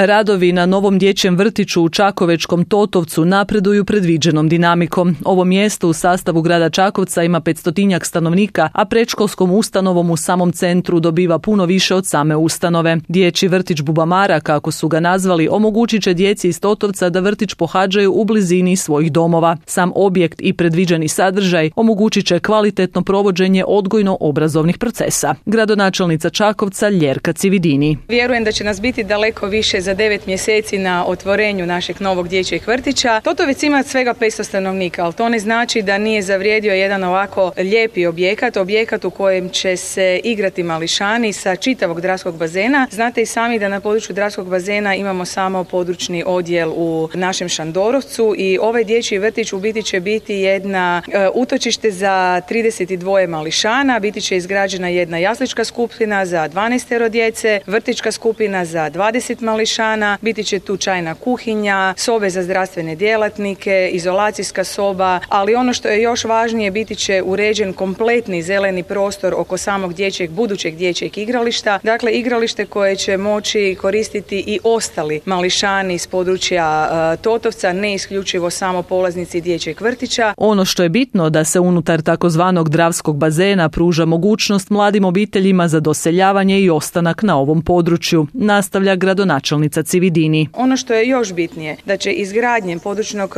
Radovi na novom dječjem vrtiću u čakovečkom Totovcu napreduju predviđenom dinamikom. Ovo mjesto u sastavu grada Čakovca ima 500-tinjak stanovnika, a predškolskom ustanovom u samom centru dobiva puno više od same ustanove. Dječji vrtić Bubamara, kako su ga nazvali, omogućit će djeci iz Totovca da vrtić pohađaju u blizini svojih domova. Sam objekt i predviđeni sadržaj omogućit će kvalitetno provođenje odgojno-obrazovnih procesa. Gradonačelnica Čakovca Ljerka Cividini. Vjerujem da će nas biti daleko više za 9 mjeseci na otvorenju našeg novog dječjeg vrtića. Totovec ima svega 500 stanovnika, ali to ne znači da nije zavrijedio jedan ovako lijepi objekat u kojem će se igrati mališani sa čitavog Dravskog bazena. Znate i sami da na području Dravskog bazena imamo samo područni odjel u našem Šandorovcu i ovaj dječji vrtić u biti će biti jedna utočište za 32 mališana, biti će izgrađena jedna jaslička skupina za 12 djece, vrtićka skupina za 20 mališana, biti će tu čajna kuhinja, sobe za zdravstvene djelatnike, izolacijska soba, ali ono što je još važnije, biti će uređen kompletni zeleni prostor oko samog budućeg dječjeg igrališta, dakle igralište koje će moći koristiti i ostali mališani iz područja Totovca, ne isključivo samo polaznici dječjeg vrtića. Ono što je bitno da se unutar takozvanog Dravskog bazena pruža mogućnost mladim obiteljima za doseljavanje i ostanak na ovom području, nastavlja gradonačelnica Cividini. Ono što je još bitnije, da će izgradnjem područnog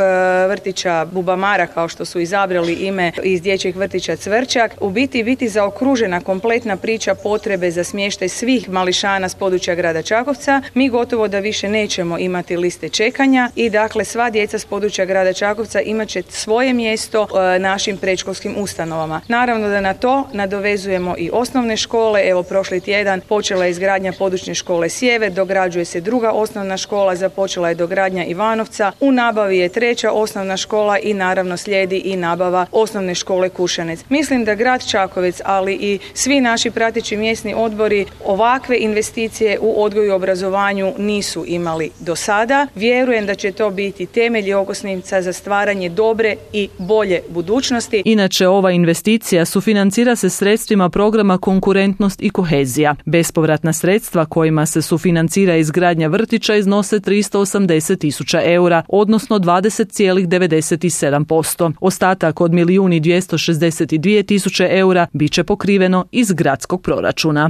vrtića Bubamara, kao što su izabrali ime iz dječjeg vrtića Cvrčak, u biti zaokružena kompletna priča potrebe za smještaj svih mališana s područja grada Čakovca. Mi gotovo da više nećemo imati liste čekanja i dakle sva djeca s područja grada Čakovca imat će svoje mjesto našim predškolskim ustanovama. Naravno da na to nadovezujemo i osnovne škole. Evo prošli tjedan počela je izgradnja područne škole Sjever, dograđuje se druga osnovna škola, započela je dogradnja Ivanovca, u nabavi je 3. osnovna škola i naravno slijedi i nabava osnovne škole Kušanec. Mislim da grad Čakovec, ali i svi naši prateći mjesni odbori ovakve investicije u odgoju i obrazovanju nisu imali do sada. Vjerujem da će to biti temelj i okosnica za stvaranje dobre i bolje budućnosti. Inače, ova investicija sufinancira se sredstvima programa Konkurentnost i kohezija. Bespovratna sredstva kojima se sufinancira izgradnja vrtića iznose 380.000 eura, odnosno 20,97%. Ostatak od 1.262.000 eura bit će pokriveno iz gradskog proračuna.